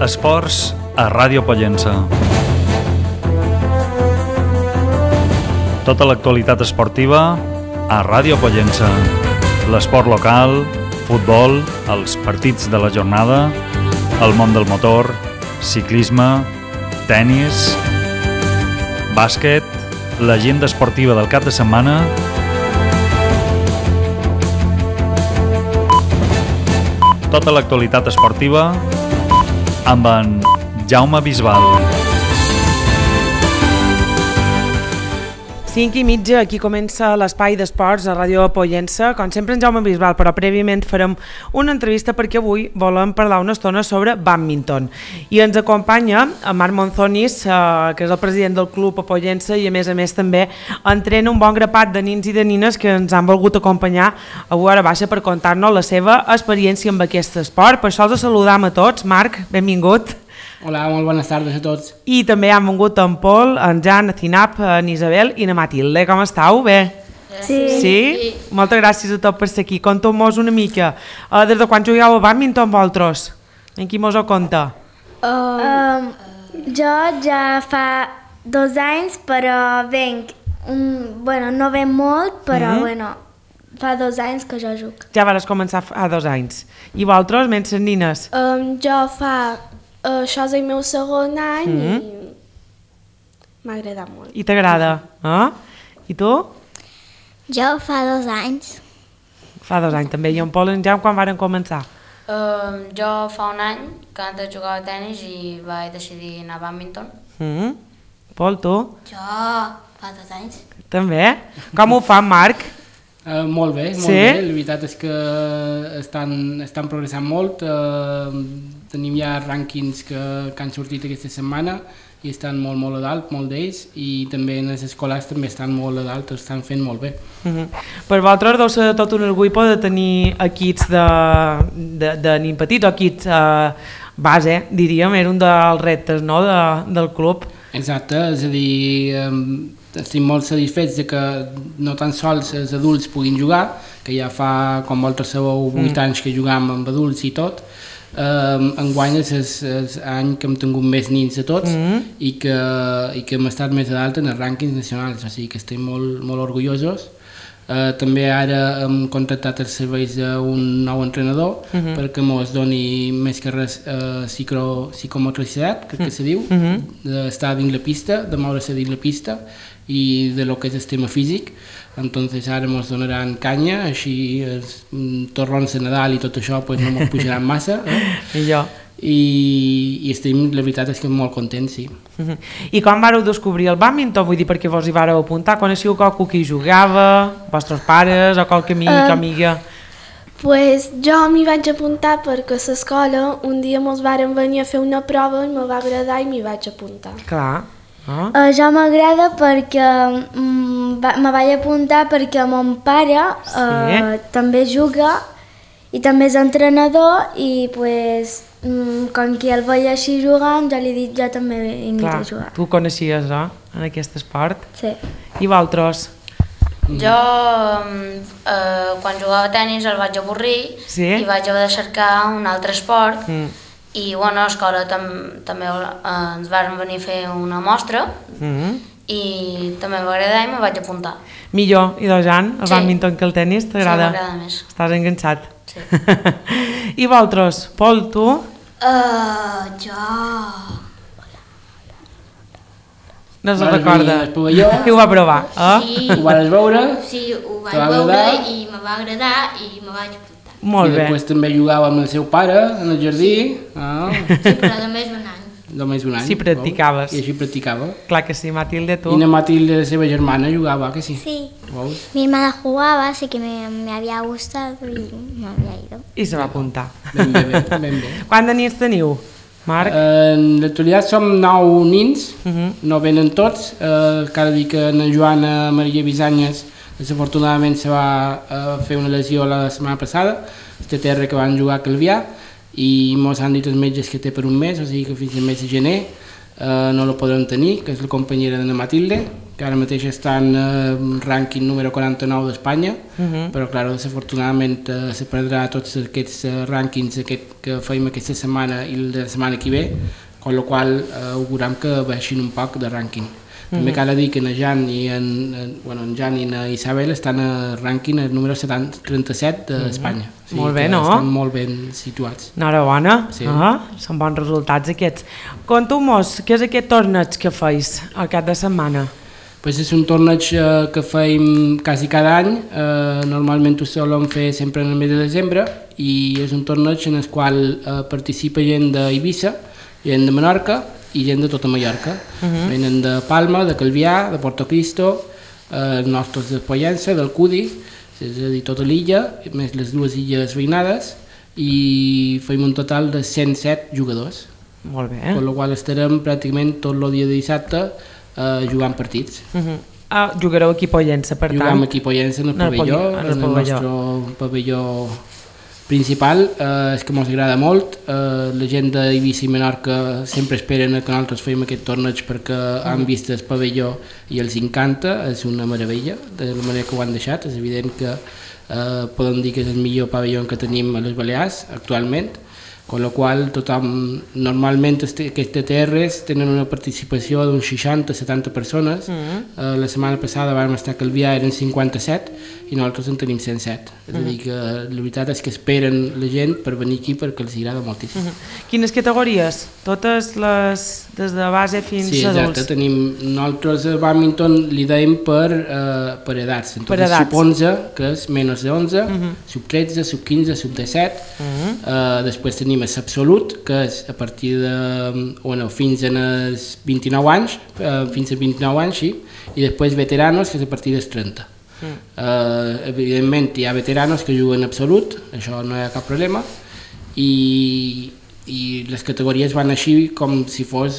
Esports a Ràdio Pollença. Tota l'actualitat esportiva a Ràdio Pollença. L'esport local, futbol, els partits de la jornada, el món del motor, ciclisme, tennis, bàsquet, l'agenda esportiva del cap de setmana, tota l'actualitat esportiva amb en Jaume Bisbal. 5:30, aquí comença l'espai d'esports a Ràdio Pollença, com sempre en Jaume Bisbal, però prèviament farem una entrevista perquè avui volem parlar una estona sobre bàdminton. I ens acompanya en Marc Monzonis, que és el president del club a Pollença i a més també entrena un bon grapat de nins i de nines que ens han volgut acompanyar a hora baixa per contar-nos la seva experiència amb aquest esport. Per això els saludam a tots. Marc, benvingut. Hola, molt bones tardes a tots. I també han vingut en Pol, en Jan, en Cinap, en Isabel i en Matilde. Com estàu? Bé? Sí? Moltes gràcies a tots per ser aquí. Conta'm-nos una mica. Des de quan jugueu a bàdminton vosaltres? En qui mos ho conta? Jo ja fa 2 anys, però venc, no venc molt, però fa 2 anys que jo jugo. Ja vas començar fa 2 anys. I vosaltres, menys les nines? Això és el meu segon any i m'ha agradat molt. I t'agrada? I tu? Jo fa 2 anys. Fa 2 anys també. I en Pol i en Jan quan varen començar? Jo fa 1 any que antes jugava a tennis i vaig decidir anar a bàdminton. Pol, tu? Jo fa 2 anys. També? Com ho fa, Marc? Molt bé, molt bé. La veritat és que estan progressant molt. Tenim ja rànquings que han sortit aquesta setmana i estan molt a dalt, molt d'ells, i també en les escoles també estan molt a dalt, estan fent molt bé. Per vosaltres deu ser tot un orgull poder tenir equips de nin petits o equips base, diríem, era un dels reptes, no?, del club. Exacte, és a dir, estic molt satisfets de que no tan sols els adults puguin jugar, que ja fa, com vosaltres sabeu, 8 anys que jugam amb adults i tot. Enguany és l'any que hem tingut més nins de tots i que hem estat més a dalt en els rànquings nacionals, o sigui que estem molt orgullosos. També ara hem contractat els serveis d'un nou entrenador perquè ens doni més que res psicomotricitat, crec que se diu, d'estar dins la pista, de moure's dins la pista i de lo que és el tema físic. Entonces ara ens donaran canya, així els torrons de Nadal i tot això pues, no ens pujaran massa. I estem, la veritat és que molt contents, sí. I quan vareu descobrir el bàdminton? Vull dir, perquè vos hi vareu apuntar? Coneixeu qualcú que hi jugava? Vostres pares o qualque amic o amiga? Pues jo m'hi vaig apuntar perquè a l'escola un dia mos varen venir a fer una prova i me va agradar i m'hi vaig apuntar. Clar. Jo m'agrada perquè me vaig apuntar perquè mon pare també juga i també és entrenador i pues, com que el veia així jugant, jo li he dit jo també vinc a jugar. Tu coneixies, en aquest esport? Sí. I vosaltres? Jo, quan jugava a tennis el vaig avorrir i vaig haver de cercar un altre esport i bueno, a l'escola també ens van venir a fer una mostra i també m'agrada i me vaig apuntar. Millor, i Jan, el bàdminton que el tennis, t'agrada? Sí, m'agrada més. Estàs enganxat? Sí. I vosaltres? Pol, tu? Jo... No se'n recorda. I ho va provar, Sí. Ho vas veure? Sí, ho vaig veure i me va agradar i me vaig apuntar. Molt bé. I després també jugava amb el seu pare en el jardí. Sí, però només 1 any. Només 1 any. Sí, practicaves. I així practicava. Clar que sí, Matilde, tu. I la Matilde, la seva germana, jugava, que sí? Sí. ¿Veus? Mi hermana jugaba, así que me había gustado y me había ido. I se va apuntar. Ben bé. Quants de nins teniu, Marc? En l'actualitat som 9 nins, no venen tots. Cada dia que la Joana Maria Bisanyes desafortunadament se va fer una lesió la setmana passada, este terra que van jugar a Calvià, i ens han dit els metges que té per 1 mes, o sigui que fins al mes de gener no la podrem tenir, que és la companyera de la Matilde, que ara mateix estan en rànquing número 49 d'Espanya, però clar, desafortunadament se perdrà tots aquests rànquings que feim aquesta setmana i la setmana que ve, amb la qual auguram que baixin un poc de rànquing. També cal dir que en Jan i en Isabel estan a rànquing el número 37 d'Espanya. O sigui, molt bé, no? Estan molt ben situats. Enhorabona. Sí. Són bons resultats aquests. Conta'm-nos, què és aquest torneig que feis al cap de setmana? Pues és un torneig que feim quasi cada any, normalment ho solem fer sempre en el mes de desembre, i és un torneig en el qual participa gent d'Eivissa, gent de Menorca i gent de tota Mallorca. Venen de Palma, de Calvià, de Portocristo, els nostres de Pollença, del Cudi, és a dir, tota l'illa, més les dues illes veïnades, i feim un total de 107 jugadors. Molt bé. Per la qual estarem pràcticament tot el dia de dissabte jugant partits. Jugareu aquí a Pollença, per tant? Juguem aquí a Pollença en el pavelló, en el nostre pavelló principal. És que ens agrada molt, la gent d'Eivissa i Menorca sempre esperen que nosaltres fem aquest torneig perquè han vist el pavelló i els encanta, és una meravella de la manera que ho han deixat. És evident que podem dir que és el millor pavelló que tenim a les Balears actualment, amb la qual tothom, normalment aquestes terres tenen una participació d'uns 60-70 persones. La setmana passada vam estar a Calvià, eren 57 i nosaltres en tenim 107. És a dir que la veritat és que esperen la gent per venir aquí perquè els agrada moltíssim. Quines categories? Totes les des de base fins a adults? Sí, exacte. Nosaltres a bàdminton li dèiem per edats. Per edats. Sub-11, que és menys de 11, sub-13, sub-15, sub-17. Després tenim l'absolut, que és a partir de fins als 29 anys, sí, i després veteranos, que és a partir dels 30. Evidentment hi ha veteranos que juguen absolut, això no hi ha cap problema, i les categories van així com si fos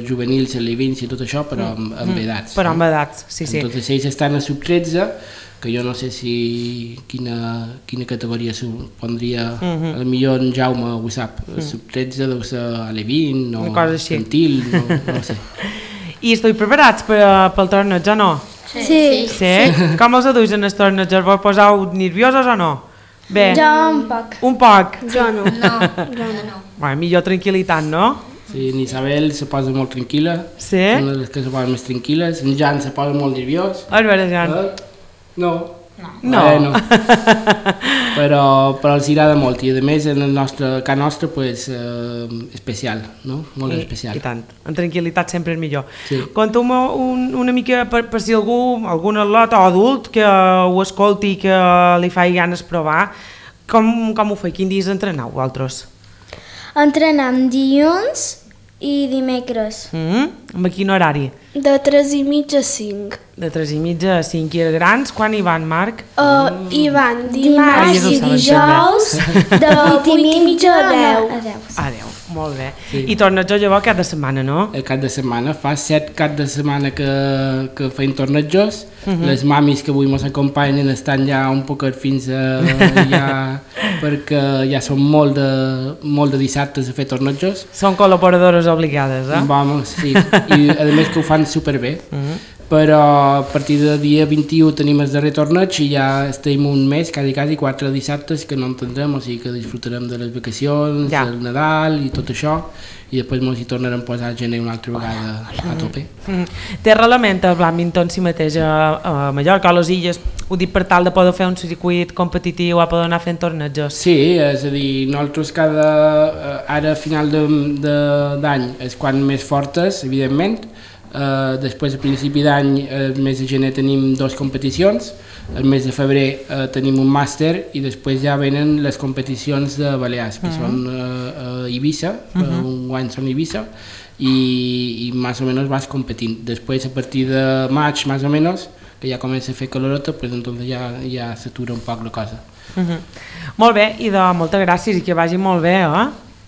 juvenils, alevins i tot això, però amb edats. Però amb edats, sí. Entonces ells estan a sub-13, que jo no sé si quina categoria s'ho pondria, potser en Jaume ho sap, sub-13 deu ser alevin o infantil, no sé. I esteu preparats pel torneig o no? Sí. Com els aduix en els torneig? Vos poseu nerviosos o no? Bé. Jo un poc. Un poc? Jo no. Bueno, millor tranquil·litat, no? Sí, en Isabel se posa molt tranquil·la. Sí? Són les que se posen més tranquil·les. En Jan se posa molt nerviós. A veure, Jan. No. Però els agrada molt i a més en el casa nostre especial, no? Molt especial. I tant, en tranquil·litat sempre és millor. Sí. Conta'm una mica per si algun atleta o adult que ho escolti i que li faci ganes provar, com ho feu? Quin dies entreneu vosaltres? Entrenem dilluns i dimecres. Amb quin horari? De 3:30 a 5. De 3:30 a 5. I els grans, quan hi van, Marc? Hi van dimarts i dijous de 8:30 a 10. A 10, molt bé. Sí. I torneig llavors cada setmana, no? El cap de setmana, fa 7 caps de setmana que feim tornejos. Les mamis que avui ens acompanyen estan ja un poc fins perquè ja són molt de dissabtes a fer tornejos. Són col·laboradores obligades, eh? Vamos, sí, i a més que ho fan superbé. Però a partir del dia 21 tenim el darrer torneig i ja estem un mes, quasi 4 dissabtes que no en tindrem, o sigui que disfrutarem de les vacacions, del Nadal i tot això, i després ens hi tornarem a posar a gener una altra vegada a tope. Té relament el bàdminton si mateix a Mallorca, a les illes, ho dic per tal de poder fer un circuit competitiu a poder anar fent tornejos? Sí, és a dir, nosaltres ara a final d'any és quan més fortes, evidentment. Després a principi d'any, el mes de gener tenim 2 competicions, el mes de febrer tenim un màster i després ja venen les competicions de Balears, que són a Eivissa, un any són a Eivissa i més o menys vas competint. Després a partir de maig més o menys, que ja comença a fer calorota, pues entonces ja s'atura un poc la cosa. Molt bé, i moltes gràcies i que vagi molt bé,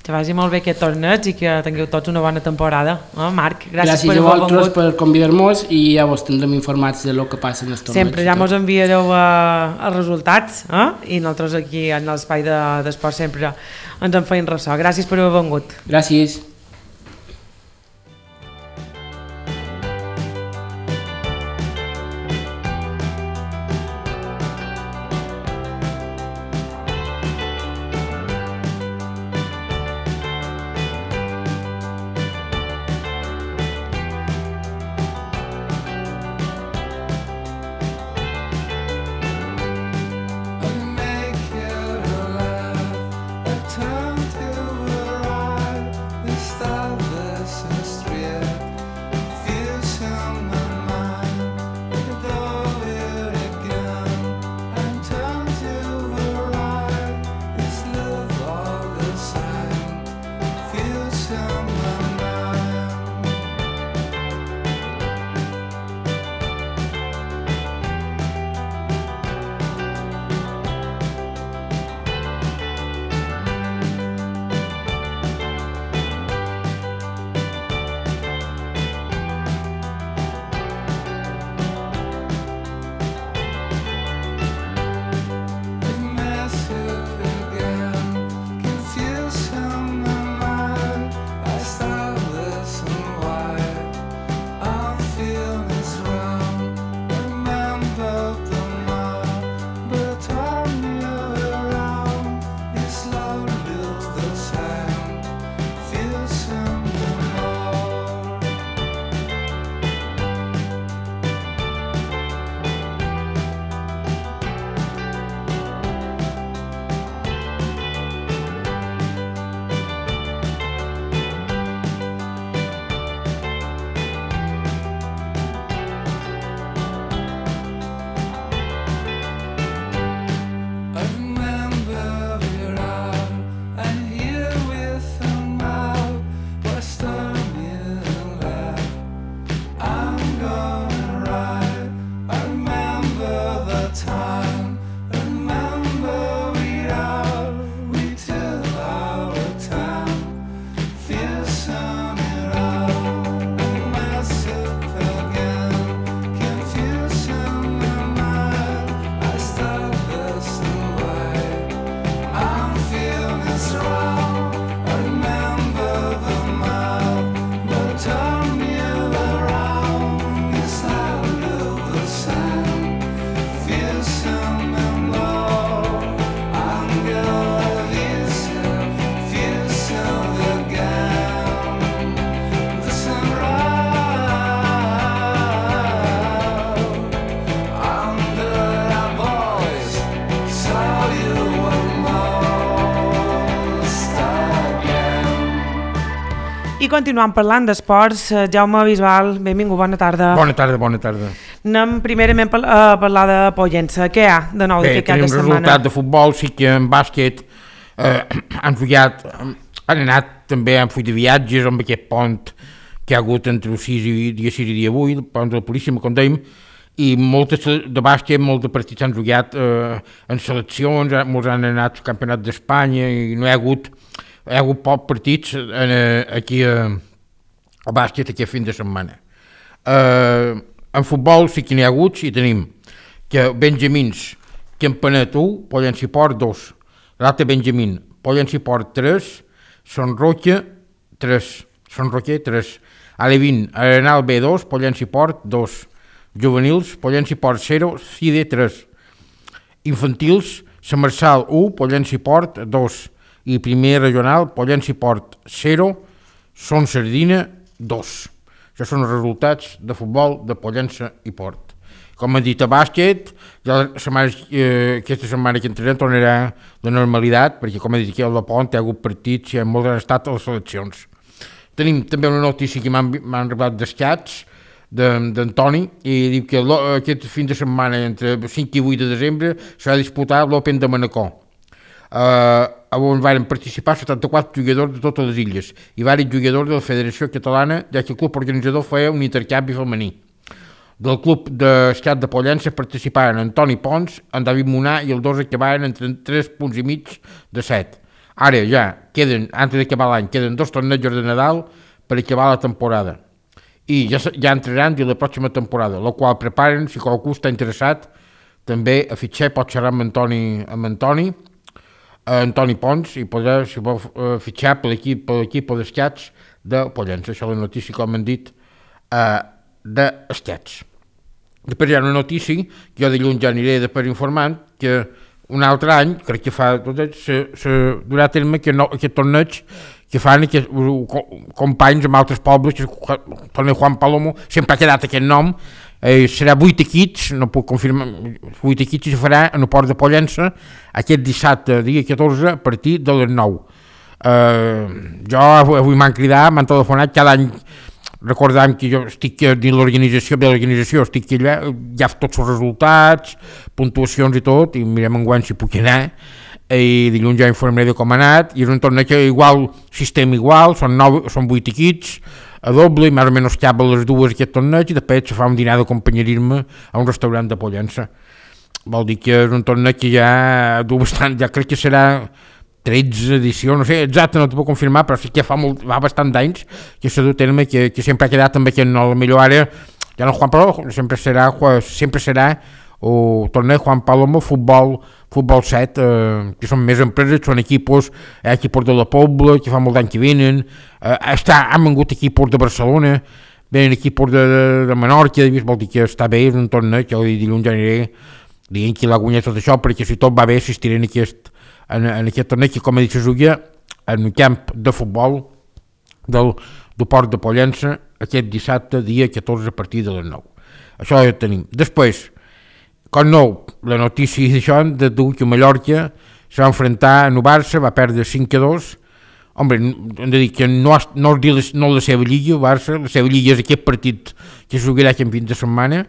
que vagi molt bé aquest torneig i que tingueu tots una bona temporada. Marc, gràcies per haver vengut. Gràcies a vosaltres per convidar-nos i ja vos tindrem informats de lo que passa en els torneigs. Sempre ja mos enviareu els resultats i nosaltres aquí en l'espai d'esport sempre ens en feim ressò. Gràcies per haver vengut. Gràcies. I continuant parlant d'esports, Jaume Bisbal, benvingut, bona tarda. Bona tarda. Anem primerament a parlar de Pollença. Què hi ha de nou d'aquesta setmana? Bé, tenim resultat de futbol, sí que en bàsquet han anat també han fet de viatges amb aquest pont que hi ha hagut entre el dia 6 i dia 8, el pont de la Puríssima, com dèiem, i moltes de bàsquet, molts de partits han jugat en seleccions, molts han anat al Campionat d'Espanya i no hi ha hagut pocs partits aquí a bàsquet aquest fin de setmana. En futbol sí que n'hi ha hagut i tenim que Benjamins, Campanet 1, Pollença i Port 2, l'altre Benjamín, Pollença i Port 3, Son Roque 3, Alevín, Arenal B2, Pollença i Port 2, Juvenils, Pollença i Port 0, Cide 3, Infantils, Sant Marçal 1, Pollença i Port 2, i primer regional, Pollença i Port 0, Son Sardina 2. Això són els resultats de futbol de Pollença i Port. Com hem dit a bàsquet, aquesta setmana que entrarem tornarà la normalitat, perquè com he dit aquí al Pont hi ha hagut partits i molts han estat a les seleccions. Tenim també una notícia que m'han arribat d'escats d'Antoni i diu que aquest fin de setmana entre 5 i 8 de desembre s'ha disputat l'Open de Manacor. On van participar 74 jugadors de totes les illes i diversos jugadors de la Federació Catalana, ja que el club organitzador feia un intercanvi femení. Del club d'escat de Pollença participaren Antoni Pons, en David Munà i els dos acabaven entre 3 punts i mig de 7. Ara ja queden, antes d'acabar l'any, queden 2 tornejos de Nadal per acabar la temporada. I ja entraran de la pròxima temporada, la qual preparen, si qualcú està interessat, també a fitxar, pot xerrar amb Antoni Pons i podrà, si vol, fitxar per l'equip d'escats de Pollença. Això és la notícia, com hem dit, d'escats. Després hi ha una notícia, que jo dilluns ja aniré després informant, que un altre any, crec que fa, se durà a terme aquest torneig que fan companys amb altres pobles, que el torneig Juan Palomo, sempre ha quedat aquest nom, serà 8 equips, no puc confirmar, 8 equips i se farà en el port de Pollença aquest dissabte, dia 14, a partir de les 9. Jo avui m'han cridat, m'han telefonat cada any, recordem que jo estic dins l'organització, estic allà, ja tots els resultats, puntuacions i tot, i mirem enguany si puc anar, i dilluns ja informaré de com ha anat, i és un torneig igual, sistema igual, són 8 equips, a doble, més o menys cap a les 2 aquest torneig, i després se fa un dinar de companyerisme a un restaurant de Pollença. Vol dir que és un torneig que ja du bastant, ja crec que serà 13 edicions, no sé, exacte, no t'ho puc confirmar, però sí que fa bastant d'anys que s'ha dut a terme, que sempre ha quedat amb aquest nom, potser ara, ja no Juan Palomo, sempre serà el torneig Juan Palomo Futbol 7, que són més empreses, són equipos de la Pobla, que fa molt d'any que venen, han vengut equipos de Barcelona, venen equipos de Menorca, vol dir que està bé, és un torneig, jo dilluns ja aniré dient qui l'ha guanyat tot això, perquè si tot va bé assistiré en aquest torneig, que com he dit se juga en un camp de futbol del port de Pollença aquest dissabte, dia 14, a partir de les 9. Això ja tenim. Després, com nou, la notícia d'això, de que Mallorca se va enfrontar a el Barça, va perdre 5-2. Hombre, hem de dir que no és la seva lliga, el Barça, la seva lliga és aquest partit que es jugarà aquest fin de setmana,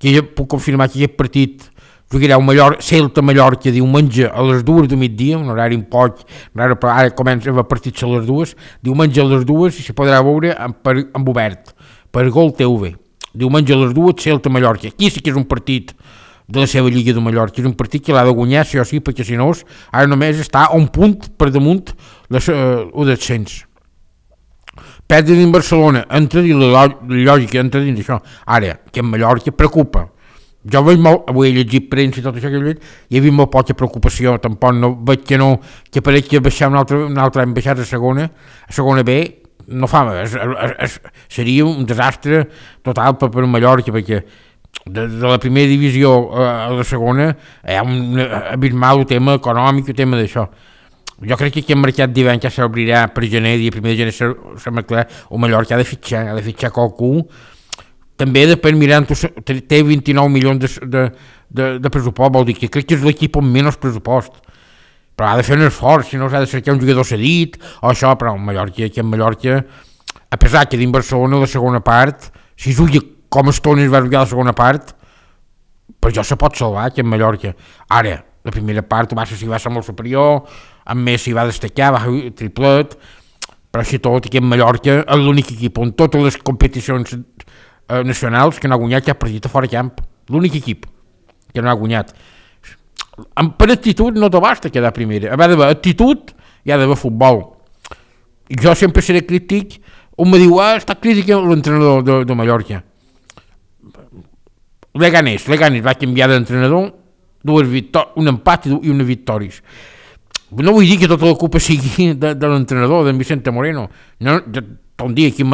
que jo puc confirmar que aquest partit jugarà Celta-Mallorca diumenge a les 2 de migdia, un horari un poc raro, però ara comença a partits a les 2, diumenge a les 2 i se podrà veure amb obert, per Gol TV. Diumenge a les 2, Celta-Mallorca. Aquí sí que és un partit de la seva Lliga de Mallorca, és un partit que l'ha de guanyar sí o sí, perquè si no, ara només està a un punt per damunt el descens. Perdre dins Barcelona, entra dins la lògica, entra dins això. Ara, que en Mallorca preocupa. Jo veig molt, avui he llegit premsa i tot això que he llegit, i he vist molt poca preocupació, tampoc no veig que pareix que baixar un altre any, baixar a segona B, no fa, seria un desastre total per Mallorca, perquè de la primera divisió a la segona hi ha un abismal tema econòmic, el tema d'això. Jo crec que aquest mercat d'hivern ja s'obrirà per gener, dia 1 de gener sembla clar, o Mallorca ha de fitxar qualcú. També després mirant, té 29 milions de pressupost, vol dir que crec que és l'equip amb menys pressupost, però ha de fer un esforç, si no s'ha de cercar un jugador cedit o això, però en Mallorca a pesar que dins Barcelona la segona part, si juga com estones va jugar la segona part, per jo se pot salvar que en Mallorca. Ara, la primera part el Barça sí va ser molt superior, amb Messi va destacar, va fer triplet, però així tot aquí en Mallorca és l'únic equip on totes les competicions nacionals que no ha guanyat cap partit a fora camp, l'únic equip que no ha guanyat. Per actitud no te basta quedar primera, ha d'haver actitud i ha d'haver futbol. Jo sempre seré crític, un me diu, està crític l'entrenador de Mallorca. Leganés va canviar d'entrenador, un empat i una victòries. No vull dir que tota la culpa sigui de l'entrenador, d'en Vicente Moreno. No, un dia aquí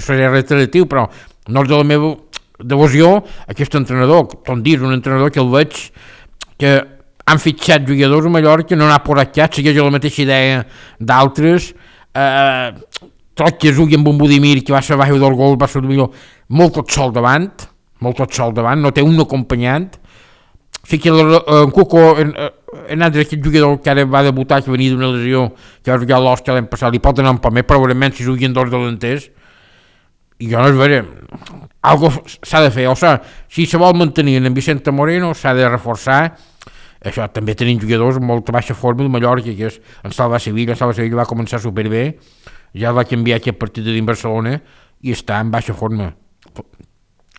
seré reiteratiu, però no és de la meva devoció aquest entrenador. Un dia és un entrenador que el veig que han fitxat jugadors a Mallorca, no n'ha posat cap, segueix la mateixa idea d'altres. Tot que jugui amb un Budimir que va ser baix del gol, va ser millor, molt tot sol davant, no té un acompanyant. Sí que en Cuco, en altre aquest jugador que ara va debutar, que venia d'una lesió, que va jugar a l'Osca l'any passat, li pot anar un poc més, probablement si juguen dos delanters. I jo no és vera, algo s'ha de fer, o sigui, si se vol mantenir en Vicente Moreno s'ha de reforçar. Això també tenim jugadors amb molta baixa forma de Mallorca, que és en Salva Sevilla va començar superbé, ja va canviar aquest partit de Barcelona i està en baixa forma.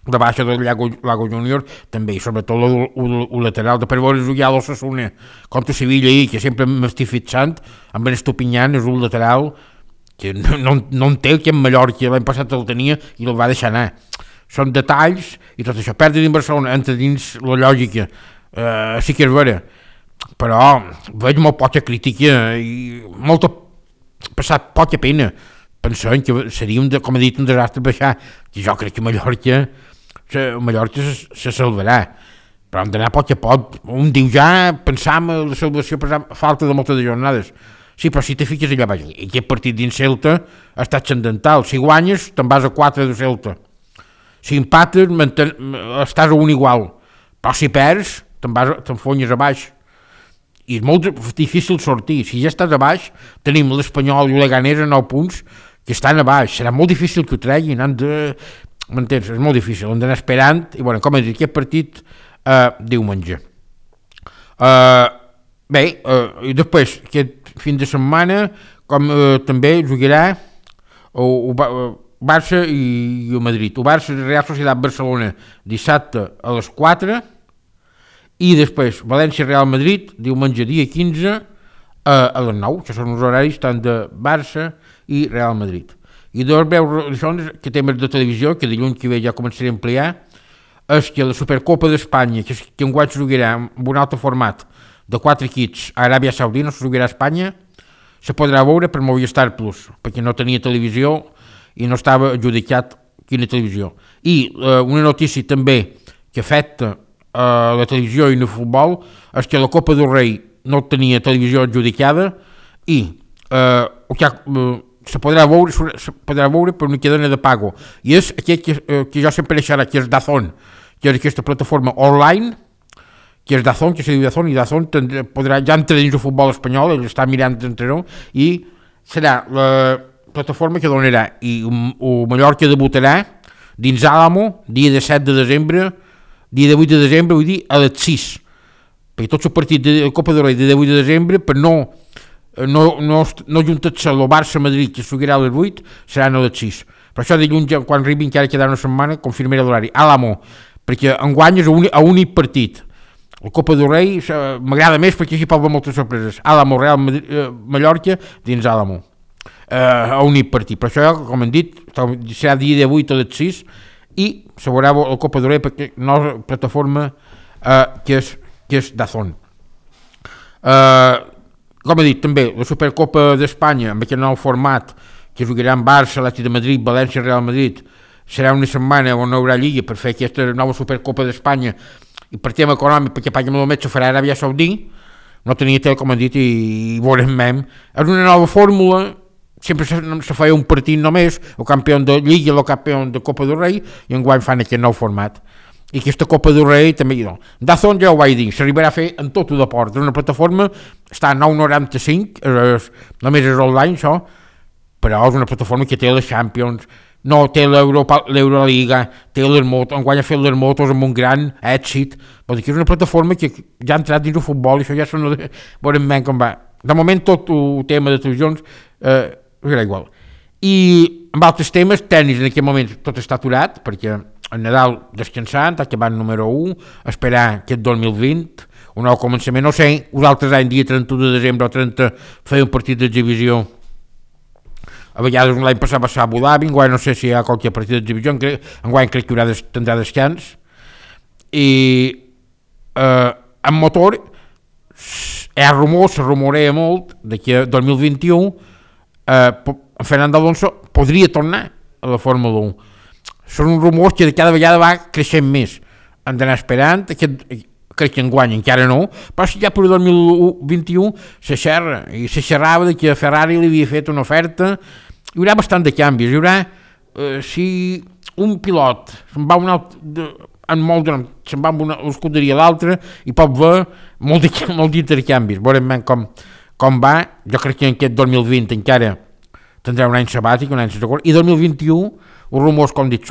La baixa del Lago Júnior també, i sobretot el lateral de per veure jugar a l'Osasuna contra Sevilla ahir, que sempre m'estic fixant amb en Estupinyan, és un lateral que no en té, que en Mallorca l'any passat el tenia i el va deixar anar. Són detalls i tot això, perdre dins Barcelona entra dins la lògica, sí que és vera, però veig molt poca crítica i molta passat poca pena pensant que seria, com he dit, un desastre baixar, que jo crec que Mallorca se salvarà, però hem d'anar a poc a poc. Un diu ja pensam en la salvació per falta de moltes jornades. Sí, però si te fiques allà baix, aquest partit dins Celta ha estat transcendental. Si guanyes te'n vas a 4 de Celta, si empates estàs a un igual, però si perds t'enfonyes a baix i és molt difícil sortir. Si ja estàs a baix, tenim l'Espanyol i el Leganés a 9 punts que estan a baix, serà molt difícil que ho treguin, m'entens? És molt difícil, hem d'anar esperant, i bueno, com he dit, aquest partit diumenge. Bé, i després, aquest fin de setmana, com també jugarà el Barça i el Madrid. El Barça i Real Societat Barcelona dissabte a les 4, i després València-Real Madrid, diumenge dia 15, a les 9, que són els horaris tant de Barça i Real Madrid. I dos veus que temes de televisió, que dilluns que ve ja començaré a ampliar, és que la Supercopa d'Espanya, que enguany se jugarà amb un altre format de 4 equips a Aràbia Saudita, no se jugarà a Espanya, se podrà veure per Movistar Plus, perquè no tenia televisió i no estava adjudicat quina televisió. I una notícia també que afecta la televisió i el futbol és que la Copa del Rei no tenia televisió adjudicada i se podrà veure per una cadena de pago, i és aquest que jo sempre deixarà, que és DAZN, que és aquesta plataforma online, que és DAZN, que se diu DAZN, i DAZN podrà, ja entra dins el futbol espanyol, ell està mirant d'entrenador, i serà la plataforma que donarà, i el Mallorca debutarà dins Àlamo, dia de 7 de desembre, dia de 8 de desembre, vull dir, a les 6, perquè tots els partits de Copa del Rei de 8 de desembre, per no juntar-se el Barça-Madrid, que es jugarà a les 8, seran a les 6. Per això dilluns, quan arribi encara quedarà una setmana, confirmaré l'horari. Àlamo, perquè enguany és a únic partit. El Copa del Rei m'agrada més perquè així pot haver moltes sorpreses. Àlamo, Real Mallorca, dins Àlamo. A únic partit. Per això, com hem dit, serà dia de 8 a les 6 i se veurà el Copa del Rei perquè no és plataforma que és DAZN. Com he dit, també, la Supercopa d'Espanya, amb aquest nou format, que jugarà en Barça, Atlètic de Madrid, València, Real Madrid, serà una setmana on no hi haurà lliga per fer aquesta nova Supercopa d'Espanya, i per tema econòmic, perquè paguem el metge, farà Aràbia Saudita, no tenia tel, com he dit, i veurem mem. És una nova fórmula, sempre se feia un partit només, el campió de Lliga i el campió de Copa del Rei, i enguany fan aquest nou format. I aquesta Copa del Rei també, no. DAZN ja ho vaig dir, s'arribarà a fer en tot el deport. Una plataforma està a 9,95, només és online, això, però és una plataforma que té la Champions, no té l'Euroliga, té l'Hermoto, enguany ha fet l'Hermotos amb un gran èxit, vol dir que és una plataforma que ja ha entrat dins el futbol i això ja sona veurem ben com va. De moment tot el tema de televisions serà igual. I amb altres temes, tenis en aquest moment tot està aturat, perquè el Nadal descansant, acabant número 1, esperar aquest 2020, un nou començament, no sé, uns altres anys, dia 31 de desembre o 30, feia un partit d'exhibició. A vegades l'any passat va ser a Abu Dhabi, enguany no sé si hi ha qualque partit d'exhibició, enguany crec que tindrà descans. I amb motor, se rumorea molt que el 2021 Fernando Alonso podria tornar a la Fórmula 1. Són rumors que cada vegada va creixent més. Hem d'anar esperant, crec que enguany encara no, però si ja per 2021 se xerra, i se xerrava que a Ferrari li havia fet una oferta, hi haurà bastant de canvis, hi haurà, si un pilot se'n va amb una escuderia a l'altra i pot haver molt d'intercanvis, veurem com va. Jo crec que en aquest 2020 encara tindrà un any sabàtic, un any sense acord, i 2021 els rumors, com dic,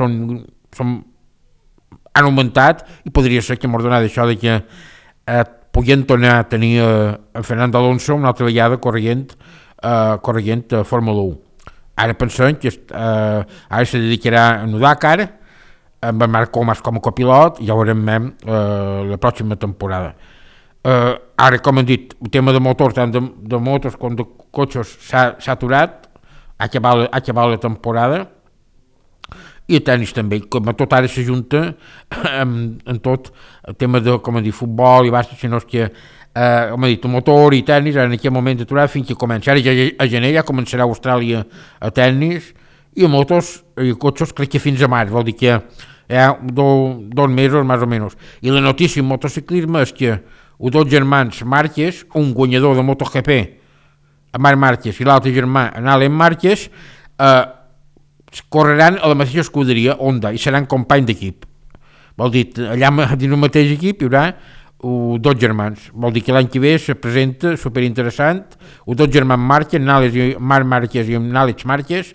han augmentat i podria ser que m'ha donat això de que puguem tornar a tenir en Fernando Alonso una altra vegada corrent a Fórmula 1. Ara pensem que ara se dedicarà a Dakar amb en Marc Comas com a copilot i ja ho veurem la pròxima temporada. Ara, com hem dit, el tema de motors, tant de motos com de cotxes s'ha aturat, ha acabat la temporada, i el tenis també, com a tot ara s'ajunta en tot el tema de, com he dit, futbol i bàsquet, sinó que, com he dit, el motor i tenis en aquest moment aturat fins que comença. Ara a gener ja començarà a Austràlia a tenis, i a motos i cotxes crec que fins a març, vol dir que hi ha 2 mesos més o menys. I la notícia en motociclisme és que els 2 germans Márquez, un guanyador de MotoGP, Marc Márquez, i l'altre germà, Alen Márquez, correran a la mateixa escuderia Honda i seran companys d'equip. Vol dir, allà dins el mateix equip hi haurà 2 germans. Vol dir que l'any que ve se presenta superinteressant. Els 2 germans Márquez, Marc Márquez i Àlex Márquez.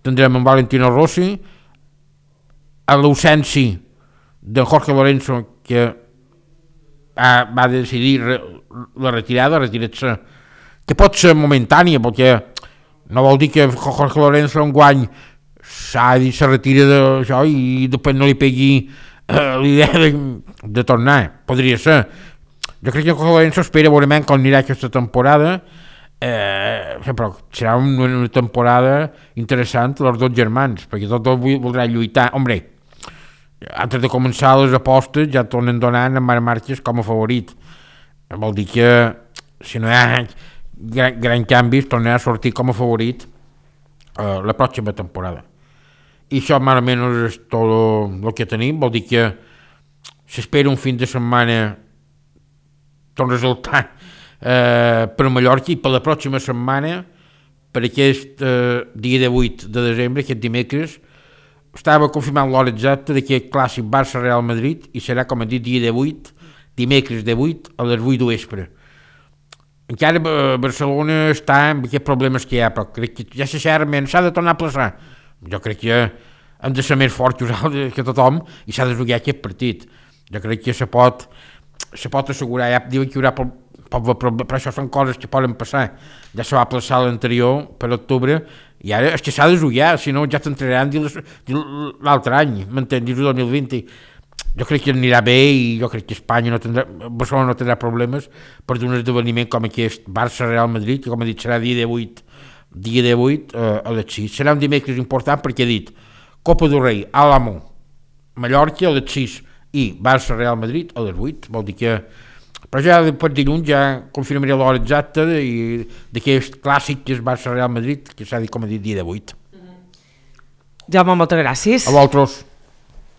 Tindrem en Valentino Rossi, a l'ausència de Jorge Lorenzo, que va decidir la retirada, retirar-se, que pot ser momentània, perquè no vol dir que Jorge Lorenzo enguany se retira d'això i després no li pegui l'idea de tornar. Podria ser. Jo crec que Jorge Lorenzo espera veurement com anirà aquesta temporada, però serà una temporada interessant els 2 germans, perquè tots 2 voldran lluitar. Hombre, antes de començar les apostes ja tornen donant en Marc Márquez com a favorit. Vol dir que si no hi ha gran canvis tornarà a sortir com a favorit la pròxima temporada. I això més o menys és tot el que tenim. Vol dir que s'espera un fin de setmana tot resultat per Mallorca, i per la pròxima setmana, per aquest dia de 8 de desembre, aquest dimecres, estava confirmant l'hora exacta d'aquest clàssic Barça-Real Madrid, i serà, com hem dit, dia de 8, dimecres de 8 a les 8 de vespre. Encara Barcelona està amb aquests problemes que hi ha, però crec que ja s'ha de tornar a plaçar. Jo crec que hem de ser més forts que tothom i s'ha de jugar aquest partit. Jo crec que se pot assegurar, ja diuen que hi haurà, però això són coses que poden passar. Ja se va plaçar l'anterior per octubre i ara és que s'ha de jugar, si no ja t'entraran l'altre any, m'entens, dins el 2020. Jo crec que anirà bé i jo crec que Barcelona no tindrà problemes per un esdeveniment com aquest Barça-Real Madrid, que com he dit serà dia de 8 a les 6. Serà un dimecres important perquè he dit Copa del Rei, Álamo, Mallorca a les 6 i Barça-Real Madrid a les 8. Vol dir que... Però ja per dilluns ja confirmaré l'hora exacta d'aquest clàssic que és Barça-Real Madrid, que s'ha dit, com he dit, dia de 8. Jaume, moltes gràcies. A vosaltres.